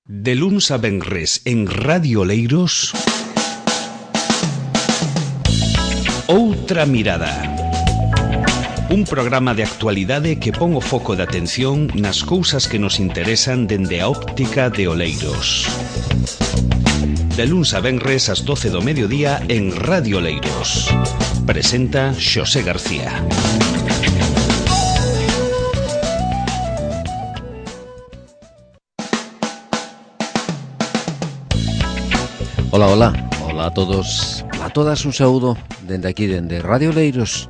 De luns a venres en Radio Oleiros, Outra Mirada. Un programa de actualidade que pon o foco de atención nas cousas que nos interesan dende a óptica de Oleiros. De luns a venres ás 12 do mediodía en Radio Oleiros. Presenta Xosé García. Ola, ola, ola a todos, a todas, un saúdo dende aquí, dende Radio Oleiros.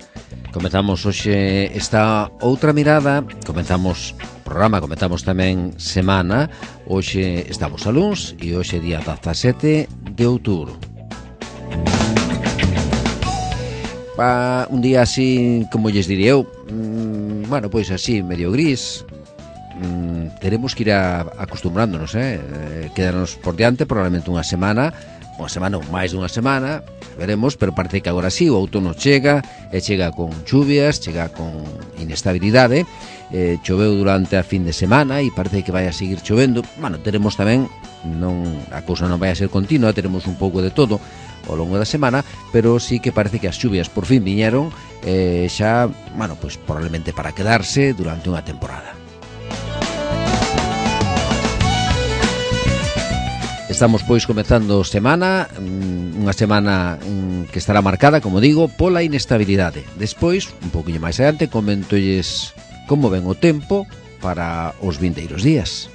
Comezamos hoxe esta outra mirada, comezamos programa, comezamos tamén semana. Hoxe estamos a luns e hoxe día 17 de outubro. Un día así, como lles diré eu, bueno, pois así, medio gris. Teremos que ir acostumbrándonos, quedarnos por diante probablemente unha semana ou máis dunha semana, veremos, pero parece que agora sí, o outono chega, e chega con chuvias, chega con inestabilidade. Choveu durante a fin de semana e parece que vai a seguir chovendo. Bueno, teremos tamén, a cousa non vai a ser continua, teremos un pouco de todo ao longo da semana, pero sí que parece que as chuvias por fin viñeron, xa, bueno, pois probablemente para quedarse durante unha temporada. Estamos pois comezando semana, unha semana que estará marcada, como digo, pola inestabilidade. Despois, un pouquinho máis adiante, comentolles como ven o tempo para os vindeiros días.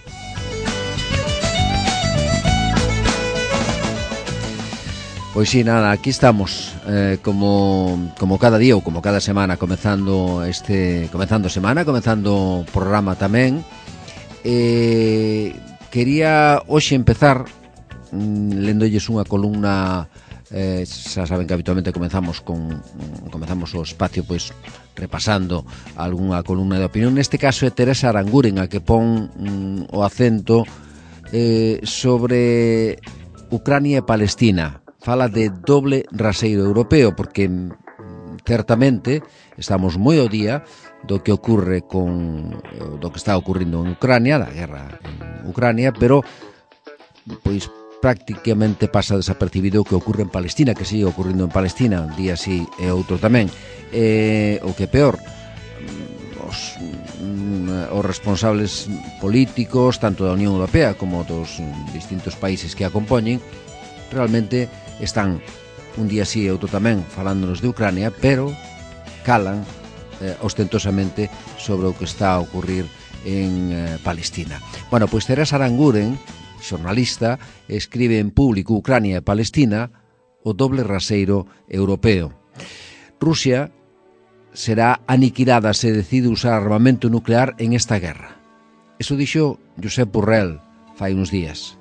Pois sí, nada, aquí estamos, como cada día ou como cada semana, comezando semana, comezando programa tamén. Quería hoxe empezar lendolles unha columna. Xa saben que habitualmente comezamos o espacio pois repasando algunha columna de opinión. Neste caso é Teresa Aranguren a que pon o acento sobre Ucrania e Palestina. Fala de doble raseiro europeo, porque certamente estamos moi ao día do que ocorre do que está ocorrindo en Ucrania, da guerra en Ucrania, pero pois prácticamente pasa desapercibido o que ocorre en Palestina, que sigue ocorrindo en Palestina, un día sí e outro tamén. O que é peor, os responsables políticos, tanto da Unión Europea como dos distintos países que a compoñen, realmente están un día sí e outro tamén falándonos de Ucrania, pero calan ostentosamente sobre o que está a ocurrir en Palestina. Bueno, pois Teresa Aranguren, xornalista, escribe en Público Ucrania e Palestina, o doble raseiro europeo. Rusia será aniquilada se decide usar armamento nuclear en esta guerra. Eso dixo Josep Borrell fai uns días.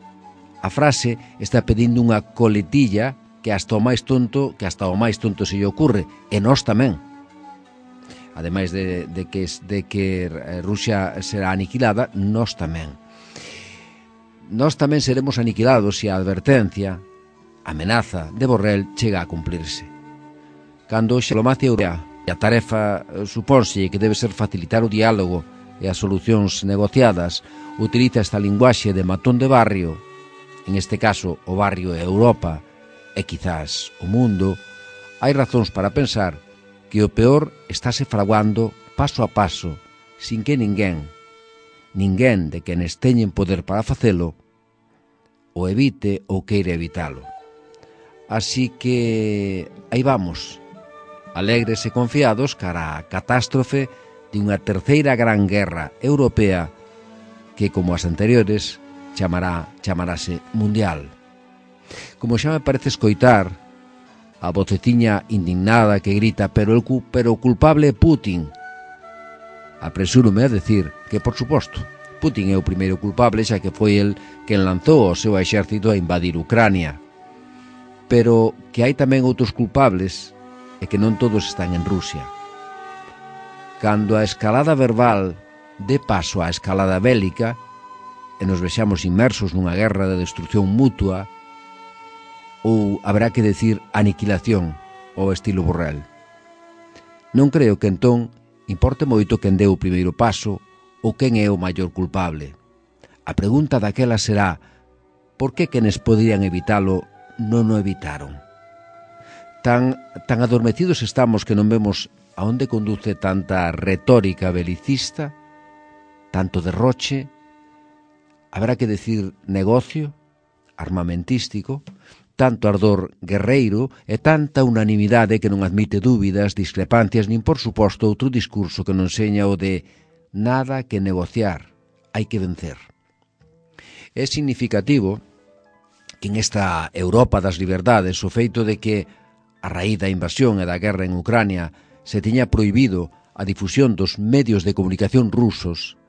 A frase está pedindo unha coletilla que hasta o máis tonto se lle ocurre, e nós tamén. Ademais de que Rusia será aniquilada, nós tamén. Nós tamén seremos aniquilados se a advertencia, a amenaza de Borrell chega a cumplirse. Cando a diplomacia europea e a tarefa supónse que debe ser facilitar o diálogo e as solucións negociadas, utiliza esta linguaxe de matón de barrio, en este caso o barrio é Europa e quizás o mundo, hai razóns para pensar que o peor estáse fraguando paso a paso, sin que ninguén de quenes teñen poder para facelo o evite ou queira evitalo. Así que aí vamos, alegres e confiados cara a catástrofe de unha terceira gran guerra europea que, como as anteriores, chamarase mundial. Como xa me parece escoitar a voceciña indignada que grita pero o culpable é Putin, apresúrome a decir que, por suposto, Putin é o primeiro culpable, xa que foi el quen lanzou o seu exército a invadir Ucrania. Pero que hai tamén outros culpables e que non todos están en Rusia. Cando a escalada verbal dé paso á escalada bélica e nos vexamos inmersos nunha guerra de destrucción mutua, ou haberá que decir aniquilación ao estilo Borrell. Non creo que entón importe moito quen deu o primeiro paso ou quen é o maior culpable. A pregunta daquela será por que quenes poderían evitalo non o evitaron? Tan adormecidos estamos que non vemos a onde conduce tanta retórica belicista, tanto derroche, habrá que decir negocio, armamentístico, tanto ardor guerreiro e tanta unanimidade que non admite dúbidas, discrepancias, nin por suposto outro discurso que non seña o de nada que negociar, hai que vencer. É significativo que en esta Europa das liberdades o feito de que a raíz da invasión e da guerra en Ucrania se tiña prohibido a difusión dos medios de comunicación rusos,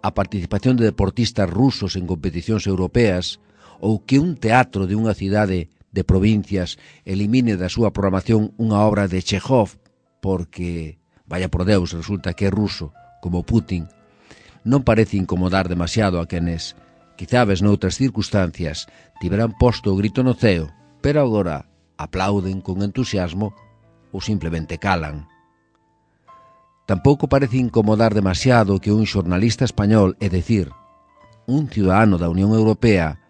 a participación de deportistas rusos en competicións europeas, ou que un teatro de unha cidade de provincias elimine da súa programación unha obra de Chekhov porque, vaya por Deus, resulta que é ruso, como Putin, non parece incomodar demasiado a quenes, quizabes noutras circunstancias, tiveran posto o grito no ceo, pero agora aplauden con entusiasmo ou simplemente calan. Tampouco parece incomodar demasiado que un xornalista español, é dicir, un ciudadano da Unión Europea,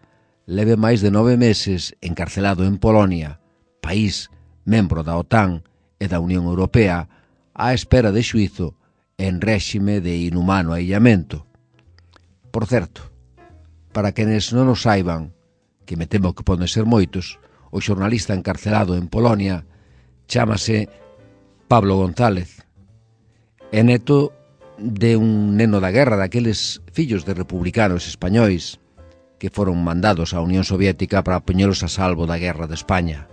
leve máis de 9 meses encarcelado en Polonia, país membro da OTAN e da Unión Europea, á espera de xuízo en réxime de inhumano aillamento. Por certo, para quenes non o saiban, que me temo que poden ser moitos, o xornalista encarcelado en Polonia chámase Pablo González. É neto de un neno da guerra, daqueles fillos de republicanos españois que foron mandados á Unión Soviética para poñelos a salvo da guerra de España.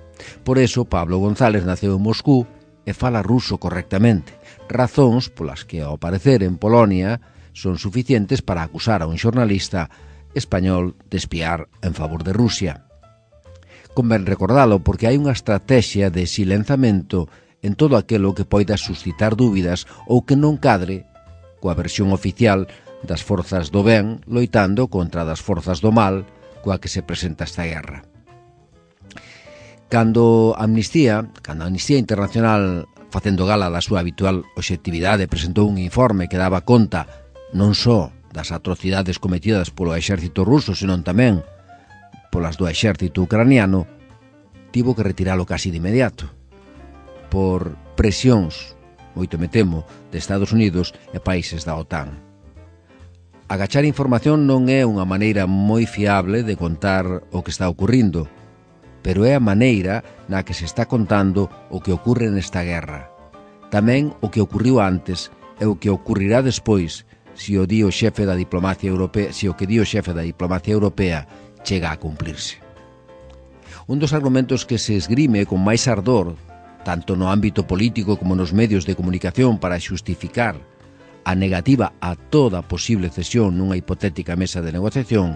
Por eso, Pablo González naceu en Moscú e fala ruso correctamente, razóns polas que, ao parecer, en Polonia son suficientes para acusar a un xornalista español de espiar en favor de Rusia. Convén recordalo porque hai unha estrategia de silenzamento en todo aquilo que poida suscitar dúbidas ou que non cadre coa versión oficial das forzas do ben loitando contra das forzas do mal coa que se presenta esta guerra. Cando a Amnistía Internacional, facendo gala da súa habitual obxectividade, presentou un informe que daba conta non só das atrocidades cometidas polo exército ruso, senón tamén polas do exército ucraniano, tivo que retiralo casi de inmediato, por presións, moito me temo, de Estados Unidos e países da OTAN. Agachar información non é unha maneira moi fiable de contar o que está ocurrindo, pero é a maneira na que se está contando o que ocurre nesta guerra. Tamén o que ocurriu antes e o que ocurrirá despois se o que di o xefe da diplomacia europea chega a cumplirse. Un dos argumentos que se esgrime con máis ardor, tanto no ámbito político como nos medios de comunicación para xustificar a negativa a toda posible cesión nunha hipotética mesa de negociación,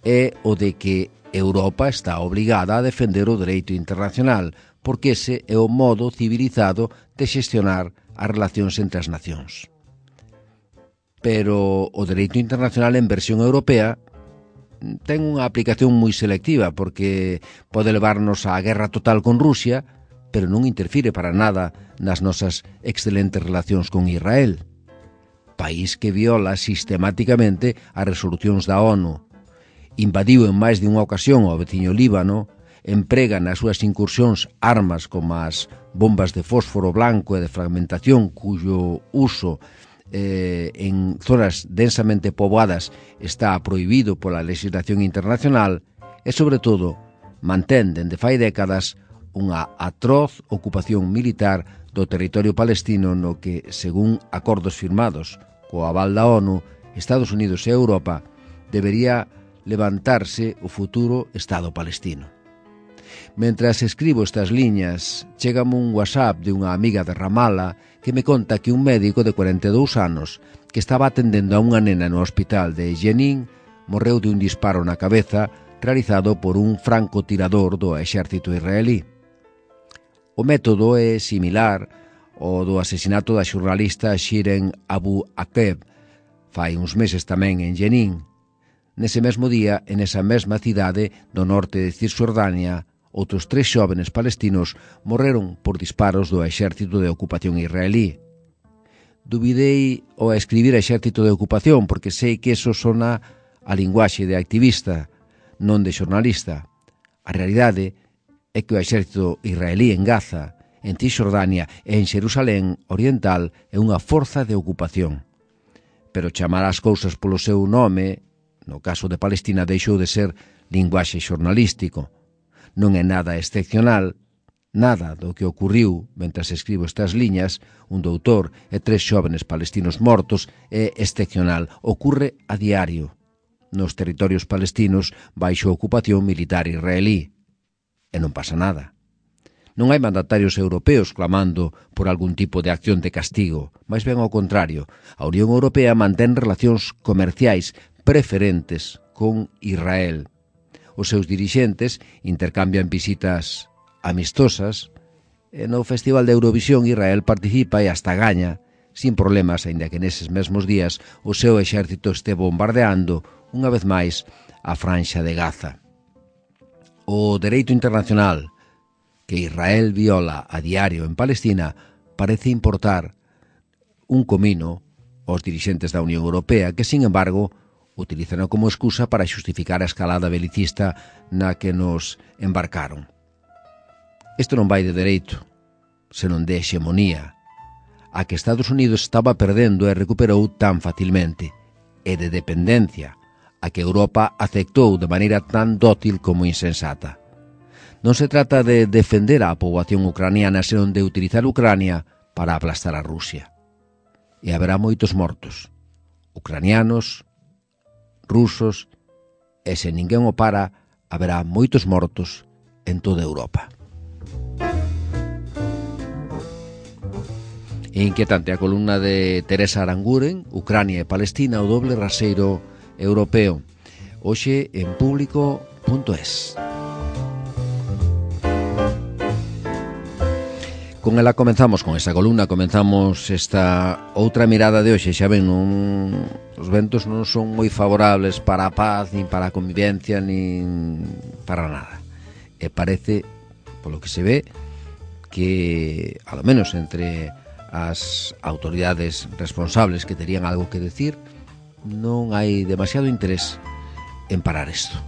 é o de que Europa está obligada a defender o dereito internacional, porque ese é o modo civilizado de xestionar as relacións entre as nacións. Pero o dereito internacional en versión europea ten unha aplicación moi selectiva porque pode levarnos á guerra total con Rusia, pero non interfire para nada nas nosas excelentes relacións con Israel, país que viola sistemáticamente as resolucións da ONU, invadiu en máis de unha ocasión ao veciño Líbano, emprega nas súas incursións armas como as bombas de fósforo blanco e de fragmentación cuyo uso en zonas densamente poboadas está prohibido pola legislación internacional e, sobre todo, mantén dende fai décadas unha atroz ocupación militar do territorio palestino no que, según acordos firmados co aval da ONU, Estados Unidos e Europa, debería levantarse o futuro Estado palestino. Mentras escribo estas liñas, chégame un WhatsApp de unha amiga de Ramallah que me conta que un médico de 42 anos que estaba atendendo a unha nena no hospital de Jenin morreu de un disparo na cabeza realizado por un francotirador do exército israelí. O método é similar ao do asesinato da xornalista Shirin Abu Akleh fai uns meses tamén en Jenin. Nese mesmo día, en esa mesma cidade do norte de Cisjordania, outros 3 xóvenes palestinos morreron por disparos do exército de ocupación israelí. Dubidei ao escribir exército de ocupación porque sei que eso sona a linguaxe de activista. non de xornalista. A realidade é que o exército israelí en Gaza, en Cisjordania e en Xerusalén Oriental é unha forza de ocupación. Pero chamar as cousas polo seu nome, no caso de Palestina, deixou de ser linguaxe xornalístico. Non é nada excepcional, nada do que ocurriu mentras escribo estas liñas, un doutor e 3 xóvenes palestinos mortos, é excepcional, ocurre a diario nos territorios palestinos baixo ocupación militar israelí. E non pasa nada. Non hai mandatarios europeos clamando por algún tipo de acción de castigo, máis ben ao contrario, a Unión Europea mantén relacións comerciais preferentes con Israel. Os seus dirixentes intercambian visitas amistosas e no Festival de Eurovisión Israel participa e hasta gaña, sin problemas, aínda que neses mesmos días o seu exército este bombardeando unha vez máis a franxa de Gaza. O dereito internacional que Israel viola a diario en Palestina parece importar un comino aos dirixentes da Unión Europea que, sin embargo, utilizan como excusa para xustificar a escalada belicista na que nos embarcaron. Isto non vai de dereito, senón de hexemonía, a que Estados Unidos estaba perdendo e recuperou tan facilmente, e de dependencia, a que Europa aceptou de maneira tan dócil como insensata. Non se trata de defender a poboación ucraniana, senón de utilizar Ucrania para aplastar a Rusia. E haberá moitos mortos, ucranianos, rusos, e se ninguén o para, haberá moitos mortos en toda Europa. E inquietante a columna de Teresa Aranguren, Ucrania e Palestina, o doble raseiro europeo, hoxe en público.es. Con ela comenzamos, con esa columna, comenzamos esta outra mirada de hoxe. Xa ven, os ventos non son moi favorables para a paz, nin para a convivencia, nin para nada. E parece, polo que se ve, que, ao menos entre as autoridades responsables que terían algo que decir, non hai demasiado interés en parar isto.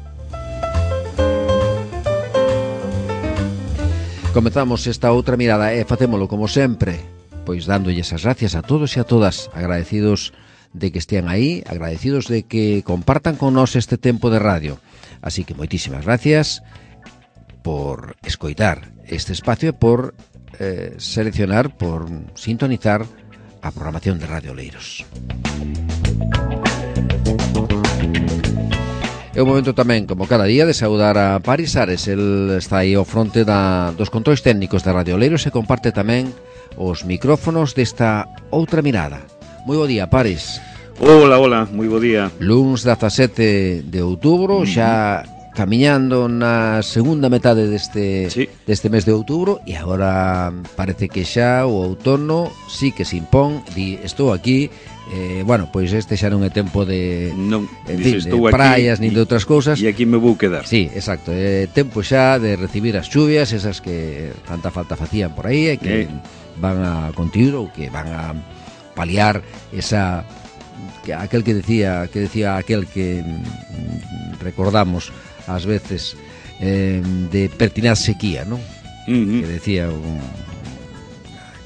Comezamos esta outra mirada e facémolo como sempre, pois dándolles as gracias a todos e a todas, agradecidos de que estean aí, agradecidos de que compartan con nós este tempo de radio. Así que moitísimas gracias por escoitar este espacio e por seleccionar, por sintonizar a programación de Radio Oleiros. É o momento tamén, como cada día, de saudar a Paris Ares. El está aí ao fronte dos controis técnicos de Radio Oleiros e comparte tamén os micrófonos desta outra mirada. Moi bo día, Paris. Hola, moi bo día. Luns 17 de outubro, xa camiñando na segunda metade deste mes de outubro, e agora parece que xa o outono sí que se impón. Estou aquí, bueno, pois este xa non é tempo de, de praias nin de outras cousas, e aquí me vou quedar. Sí, exacto, é tempo xa de recibir as chuvias, esas que tanta falta facían por aí, e que van a contigo, ou que van a paliar esa, aquel que decía aquel que recordamos ás veces, de pertinaz sequía, non? Que decía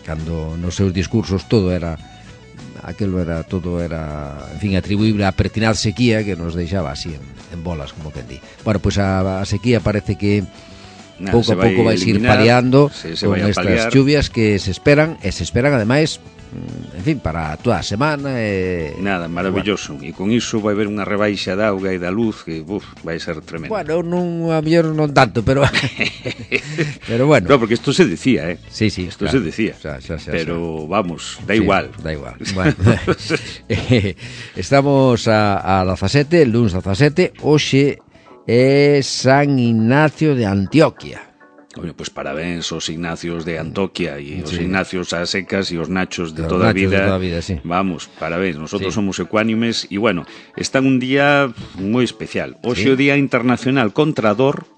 cando nos seus discursos todo era, en fin, atribuible a pertinaz sequía, que nos deixaba así en bolas, como quen di. Bueno, pois a sequía parece que pouco a pouco vai ir paliando con estas chuvias que se esperan, e se esperan ademais, en fin, para toda a semana. Nada, maravilloso. E con iso vai haber unha rebaixa da auga e da luz que vai ser tremendo. Bueno, a mellor non tanto, pero pero bueno. No, porque isto se decía, Sí, isto claro, se decía. Pero vamos, da igual. Da igual. Bueno. Estamos a 17, luns 17, hoxe é San Ignacio de Antioquia. Bueno, pois parabéns aos Ignacios de Antoquia e os Ignacios a secas e os Nachos de toda a vida. Sí. Vamos, parabéns, nosotros somos ecuánimes e, bueno, está un día moi especial. Hoxe o Día Internacional contra a Dor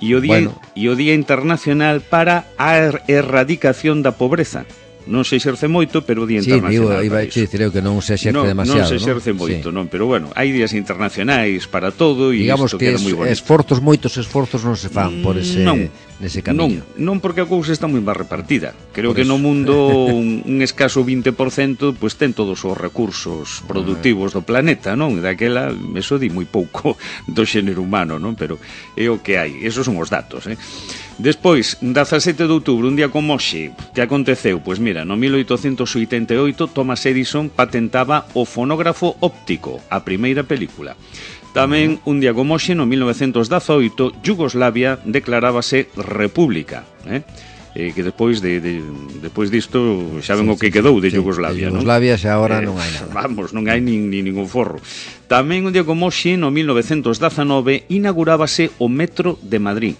e o Día Internacional para a Erradicación da Pobreza. Non se exerce moito, pero o Día Internacional. Sí, iba a dicir que non se exerce demasiado. Non se exerce moito, non, pero bueno, hai días internacionais para todo e digamos isto que queda moi bonito. Moitos esforzos non se fan por nese camiño. Non, porque a cousa está moi máis repartida. Creo que no mundo un escaso 20% pues ten todos os recursos productivos do planeta, non? Daquela, eso di moi pouco do xénero humano, non? Pero é o que hai, esos son os datos, Despois, 17 de outubro, un día como hoxe, que aconteceu? Pois mira, no 1888 Thomas Edison patentaba o fonógrafo óptico, a primeira película. Tamén, un día como hoxe, no 1918, Yugoslavia declarábase república, que despois disto xa ven o que quedou de Yugoslavia, non? Yugoslavia xa agora non hai nada. Vamos, non hai nin ningún forro. Tamén, un día como hoxe, no 1919, inaugurábase o Metro de Madrid.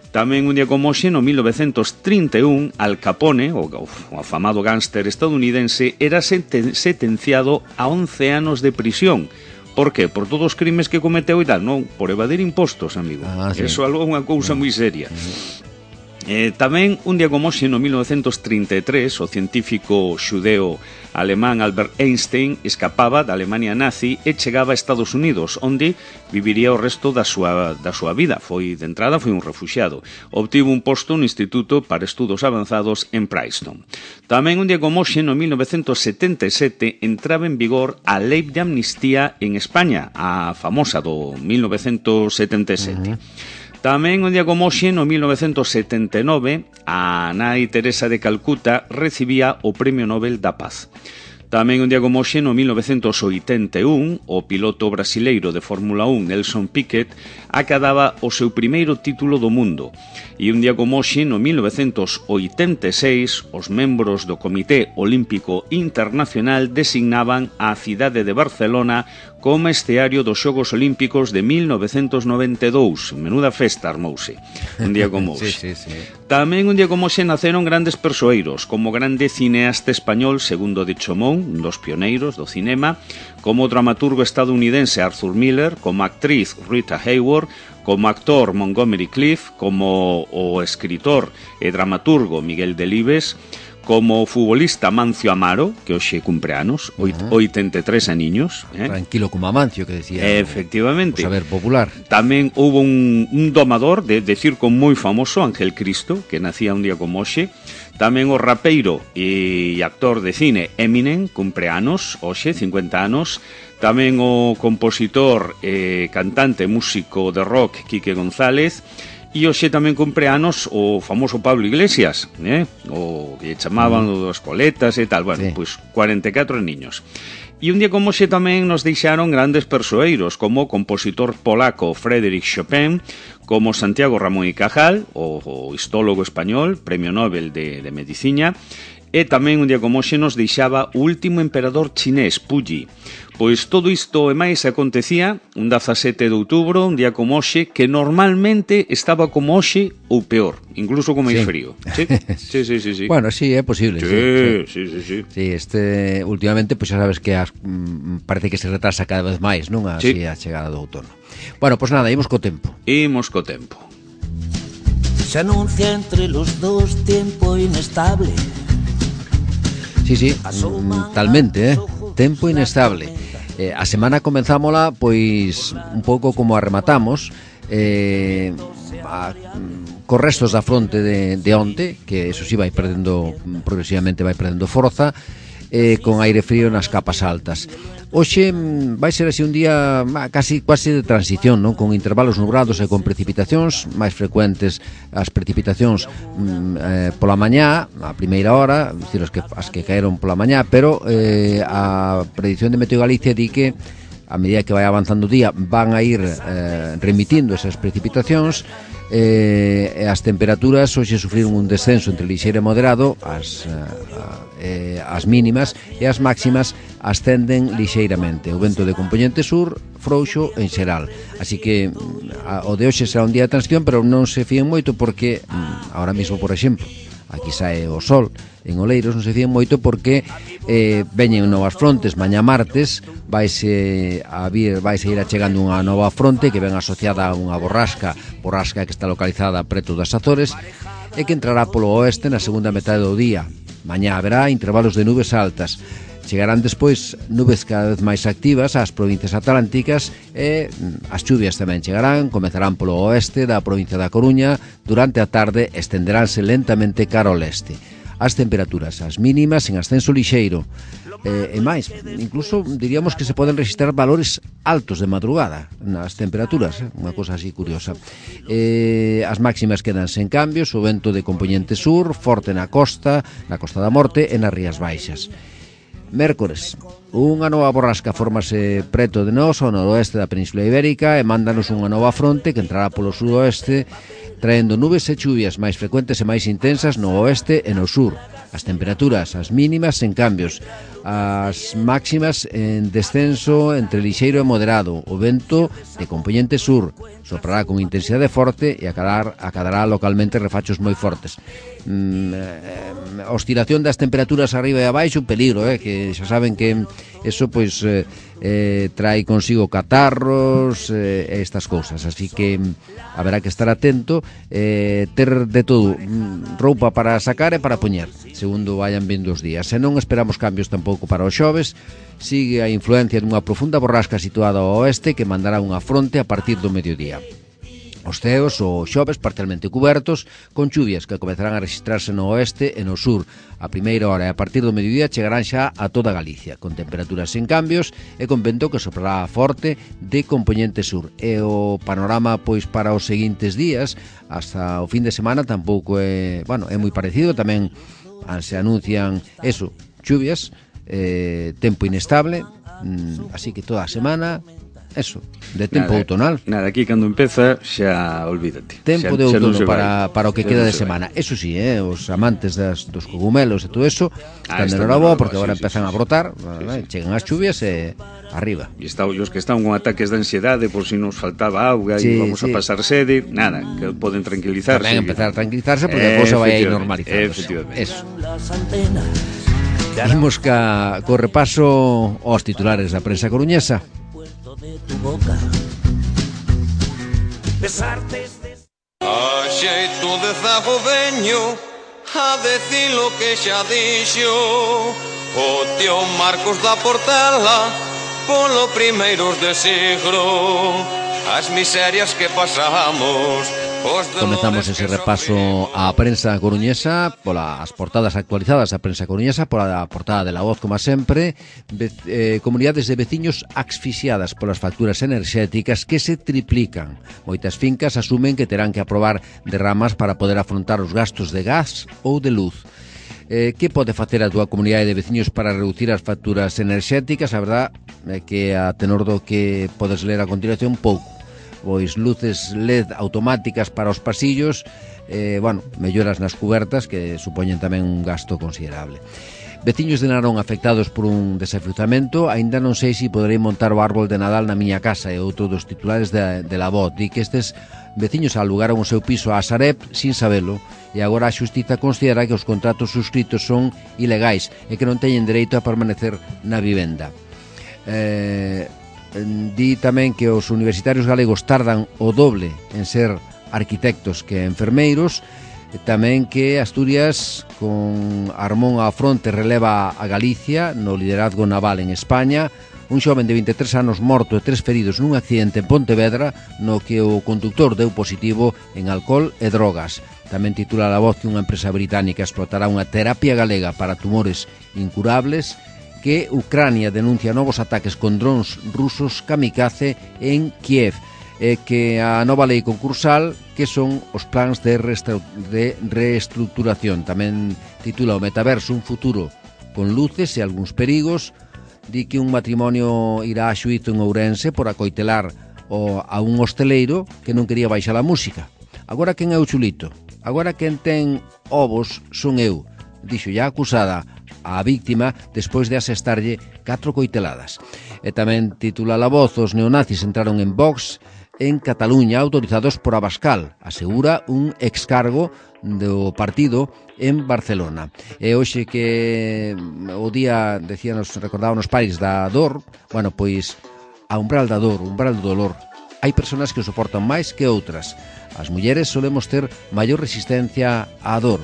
Tamén un día como hoxe, no 1931, Al Capone, o afamado gánster estadounidense, era sentenciado a 11 anos de prisión. Por qué? Por todos os crimes que cometeu e tal, non, por evadir impostos, amigo. Sí. Eso é unha cousa moi seria. Tamén, un día como hoxe, no 1933, o científico xudeo alemán Albert Einstein escapaba da Alemania nazi e chegaba a Estados Unidos, onde viviría o resto da súa vida. De entrada foi un refuxiado. Obtivo un posto no Instituto para Estudos Avanzados en Princeton. Tamén, un día como hoxe, no 1977, entraba en vigor a Lei de Amnistía en España, a famosa do 1977. Tamén, un día como hoxe, no 1979, a nai Teresa de Calcuta recibía o Premio Nobel da Paz. Tamén, un día como hoxe, no 1981, o piloto brasileiro de Fórmula 1, Nelson Piquet, acadaba o seu primeiro título do mundo. E un día como hoxe, no 1986, os membros do Comité Olímpico Internacional designaban a cidade de Barcelona como esteario dos Xogos Olímpicos de 1992. Menuda festa armouse, un día como hoxe. Sí. Tamén un día como hoxe naceron grandes persoeiros, como grande cineasta español Segundo de Chomón, un dos pioneiros do cinema, como o dramaturgo estadounidense Arthur Miller, como actriz Rita Hayworth, como actor Montgomery Clift, como o escritor e dramaturgo Miguel Delibes, como futbolista Mancio Amaro, que hoxe cumpre anos, 83 aniños. Tranquilo como Amancio, que decía. Efectivamente. O saber popular. Tamén houve un domador de circo moi famoso, Ángel Cristo, que nacía un día como hoxe. Tamén o rapeiro e actor de cine Eminem, cumpre anos, hoxe, 50 anos. Tamén o compositor, cantante, músico de rock, Quique González. E hoxe tamén cumpre anos o famoso Pablo Iglesias, o que chamaban das coletas e tal. Bueno, pois 44 niños. E un día como hoxe tamén nos deixaron grandes persoeiros, como o compositor polaco Frédéric Chopin, como Santiago Ramón y Cajal, o histólogo español, Premio Nobel de Medicina. E tamén un día como hoxe nos deixaba o último emperador chinés, Puyi. Pois todo isto e máis acontecía un 17 de outubro, un día como hoxe, que normalmente estaba como hoxe ou peor, incluso con máis frío. Sí. Bueno, sí, é posible. Sí. Sí, últimamente, pois xa sabes que parece que se retrasa cada vez máis, non? Así a chegada do outono. Bueno, pois nada, imos co tempo. Se anuncia entre los dos tiempo inestable. Sí, talmente, tempo inestable. A semana comenzámola, pois, un pouco como a rematamos, cos restos da fronte de onte, que eso sí vai perdendo, progresivamente vai perdendo forza, con aire frío nas capas altas. Hoxe vai ser así un día quasi de transición, non? Con intervalos nubrados e con precipitacións máis frecuentes, as precipitacións pola mañá, a primeira hora, decir, as que caeron pola mañá, pero a predicción de Meteo Galicia di que a medida que vai avanzando o día van a ir remitindo esas precipitacións, e as temperaturas hoxe sufriron un descenso entre lixeiro e moderado, as mínimas, e as máximas ascenden lixeiramente. O vento de compoñente sur frouxo en xeral, así que o de hoxe será un día de transición, pero non se fíen moito porque ahora mesmo, por exemplo, aquí sae o sol en Oleiros, non se fíen moito porque veñen novas frontes. Mañá martes vaise ir achegando unha nova fronte que ven asociada a unha borrasca que está localizada preto das Azores e que entrará polo oeste na segunda metade do día. Mañá haberá intervalos de nubes altas. Chegarán despois nubes cada vez máis activas ás provincias atlánticas e as chuvias tamén chegarán, comezarán polo oeste da provincia da Coruña, durante a tarde estenderánse lentamente cara ao leste. As temperaturas, as mínimas en ascenso lixeiro, e máis, incluso diríamos que se poden registrar valores altos de madrugada nas temperaturas, unha cosa así curiosa. As máximas quedan sen cambios, o vento de compoñente sur, forte na Costa da Morte e nas Rías Baixas. Mércores, unha nova borrasca formase preto de nós ao noroeste da Península Ibérica e mándanos unha nova fronte que entrará polo sudoeste, traendo nubes e chuvias máis frecuentes e máis intensas no oeste e no sur. As temperaturas, as mínimas en cambios, as máximas en descenso entre lixeiro e moderado. O vento de compoñente sur soprará con intensidade forte e acadará localmente refachos moi fortes. A oscilación das temperaturas arriba e abaixo, un peligro, que xa saben que eso pois trae consigo catarros e estas cousas, así que haberá que estar atento, ter de todo, roupa para sacar e para poñer segundo vayan vindo os días. Se non esperamos cambios tampouco para os xoves, sigue a influencia dunha profunda borrasca situada ao oeste que mandará unha fronte a partir do mediodía. Os ceos o xoves parcialmente cubertos, con chuvias que comezarán a registrarse no oeste e no sur. A primeira hora e a partir do mediodía chegarán xa a toda Galicia, con temperaturas sen cambios e con vento que soprará forte de compoñente sur. E o panorama pois para os seguintes días, hasta o fin de semana, tampouco é moi parecido. Tamén se anuncian chuvias, tempo inestable, así que toda a semana de tempo outonal. Nada, aquí cando empeza xa olvídate. Tempo de outono para o que queda de semana. Eso sí, os amantes dos cogumelos e todo eso están de enhoraboa porque agora empezan a brotar, chegan as chuvias e arriba. E os que están con ataques de ansiedade por si nos faltaba auga e vamos a pasar sede, nada, que poden tranquilizarse. Tamén empezar a tranquilizarse porque a cousa vai a ir normalizándose. Efectivamente. Imos co repaso aos titulares da prensa coruñesa. Tu boca. A xeito de zago veño a decir lo que xa dixo o tío Marcos da Portela polo primeiros de siglo, as miserias que pasamos. Comezamos ese repaso á prensa coruñesa polas portadas actualizadas da prensa coruñesa, pola portada de La Voz, como sempre. Comunidades de veciños asfixiadas polas facturas enerxéticas que se triplican. Moitas fincas asumen que terán que aprobar derramas para poder afrontar os gastos de gas ou de luz. Que pode facer a túa comunidade de veciños para reducir as facturas enerxéticas? A verdad é que a tenor do que podes ler a continuación, pouco. Pois luces LED automáticas para os pasillos, melloras nas cubertas que supoñen tamén un gasto considerable. Veciños de Narón afectados por un desafruzamento. Aínda non sei se poderei montar o árbol de Nadal na miña casa, e outro dos titulares de La Voz. Di que estes veciños alugaron o seu piso a Sareb sin sabelo, e agora a xustiza considera que os contratos suscritos son ilegais e que non teñen dereito a permanecer na vivenda. Di tamén que os universitarios galegos tardan o doble en ser arquitectos que enfermeiros. Tamén que Asturias, con Armón á fronte, releva a Galicia no liderazgo naval en España. Un xoven de 23 anos morto e 3 feridos nun accidente en Pontevedra no que o conductor deu positivo en alcohol e drogas. Tamén titula La Voz que unha empresa británica explotará unha terapia galega para tumores incurables. Que Ucrania denuncia novos ataques con drons rusos kamikaze en Kiev, que a nova lei concursal, que son os plans de reestruturación. Tamén titula o metaverso un futuro con luces e algúns perigos. Di que un matrimonio irá a xuízo en Ourense por acoitelar a un hosteleiro que non quería baixar a música. Agora quen é o chulito? Agora quen ten ovos son eu, dixo ya acusada a víctima despois de asestarlle 4 coiteladas. E tamén titula La Voz: os neonazis entraron en Vox en Cataluña autorizados por Abascal, asegura un excargo do partido en Barcelona. E hoxe que o día, recordábamos París da dor, pois a umbral da dor, umbral do dolor, hai persoas que o soportan máis que outras. As mulleres solemos ter maior resistencia á dor.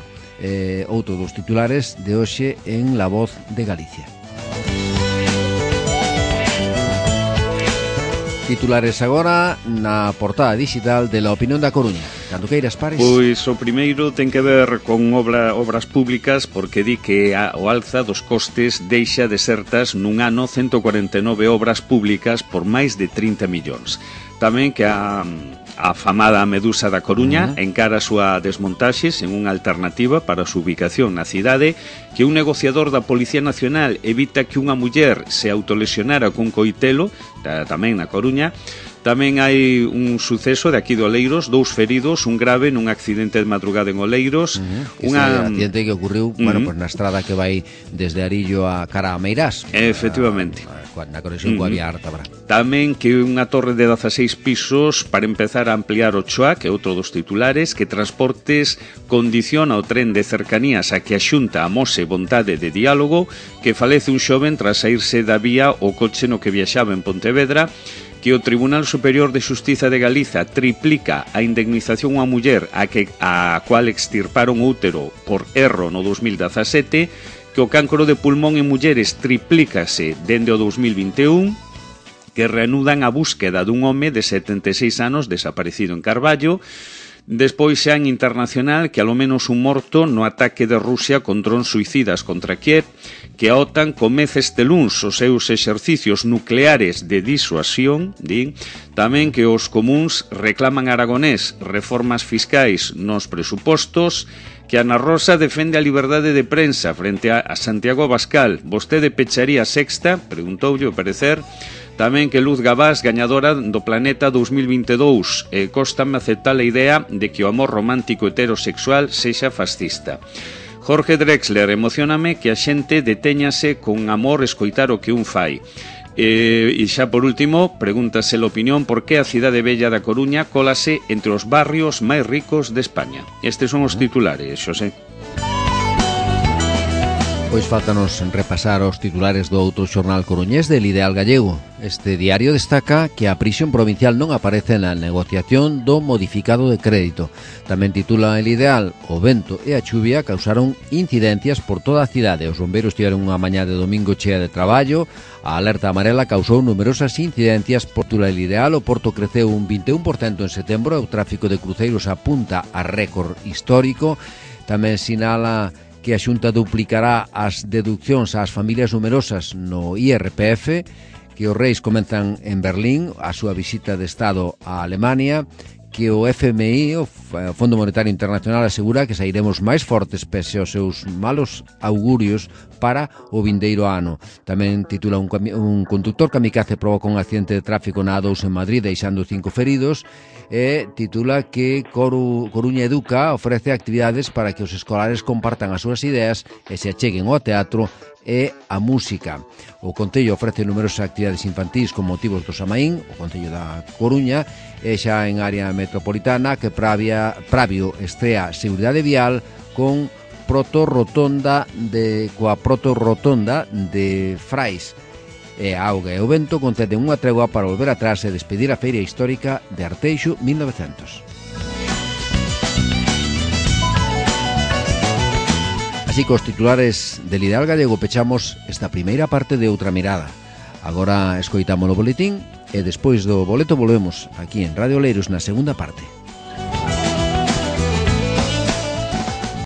outro dos titulares de hoxe en La Voz de Galicia. Titulares agora na portada digital de La Opinión da Coruña. Cando queiras, Pares. Pois o primeiro ten que ver con obras públicas, porque di que o alza dos costes deixa desertas nun ano 149 obras públicas por máis de 30 millóns. Tamén que a famada Medusa da Coruña encara a súa desmontaxe sen unha alternativa para a súa ubicación na cidade, que un negociador da Policía Nacional evita que unha muller se autolesionara cun coitelo, tamén na Coruña. Tamén hai un suceso de aquí de Oleiros, 2 feridos, un grave nun accidente de madrugada en Oleiros. Unha accidente que ocurriu, bueno, pues na estrada que vai desde Arillo a cara a Meirás. Efectivamente. Na conexión coa vía Ártabra. Tamén que unha torre de 16 pisos para empezar a ampliar o Choa, que é outro dos titulares, que Transportes condiciona o tren de cercanías a que a Xunta amose vontade de diálogo, que falece un xoven tras saírse da vía o coche no que viaxaba en Pontevedra, que o Tribunal Superior de Xustiza de Galiza triplica a indemnización a muller a cual extirparon o útero por erro no 2017, que o cancro de pulmón en mulleres triplícase dende o 2021, que reanudan a búsqueda dun home de 76 anos desaparecido en Carballo. Despois xa en internacional que alo menos un morto no ataque de Rusia con drons suicidas contra Kiev, que a OTAN comece este luns os seus exercicios nucleares de disuasión, din. Tamén que os comuns reclaman a Aragonés reformas fiscais nos presupostos, que Ana Rosa defende a liberdade de prensa frente a Santiago Abascal. Vostede pecharía a Sexta? Preguntoulle o parecer. Tamén que Luz Gabás, gañadora do Planeta 2022. Cóstame aceptar a idea de que o amor romántico heterosexual sexa fascista. Jorge Drexler, emocioname que a xente detéñase con amor escoitar o que un fai. E xa por último, pregúntase a opinión por que a cidade bella da Coruña cólase entre os barrios máis ricos de España. Estes son os titulares, Xosé. Pois faltanos repasar os titulares do outro xornal coruñés del Ideal Gallego. Este diario destaca que a prisión provincial non aparece na negociación do modificado de crédito. Tamén titula el Ideal: o vento e a chuvia causaron incidencias por toda a cidade. Os bombeiros tiveron unha mañá de domingo chea de traballo. A alerta amarela causou numerosas incidencias por titula el Ideal. O Porto creceu un 21% en setembro. O tráfico de cruceiros apunta a récord histórico. Tamén sinala que a Xunta duplicará as deduccións ás familias numerosas no IRPF, que os reis comenzan en Berlín a súa visita de Estado a Alemania, que o FMI, o Fondo Monetario Internacional, asegura que sairemos máis fortes pese aos seus malos augurios para o vindeiro ano. Tamén titula un conductor kamikaze provoca un accidente de tráfico na A2 en Madrid, deixando 5 feridos. E titula que Coruña Educa ofrece actividades para que os escolares compartan as súas ideas e se acheguen ao teatro e a música. O Concello ofrece numerosas actividades infantís con motivos do Samaín, o Concello da Coruña, e xa en área metropolitana que Pravio estrea Seguridade Vial con coa protorrotonda de Frais. E a auga e o vento conceden unha tregua para volver atrás e despedir a Feira Histórica de Arteixo 1900. Así que os titulares del Ideal Gallego pechamos esta primeira parte de Outra Mirada. Agora escoitamos o boletín e despois do boleto volvemos aquí en Radio Oleiros na segunda parte.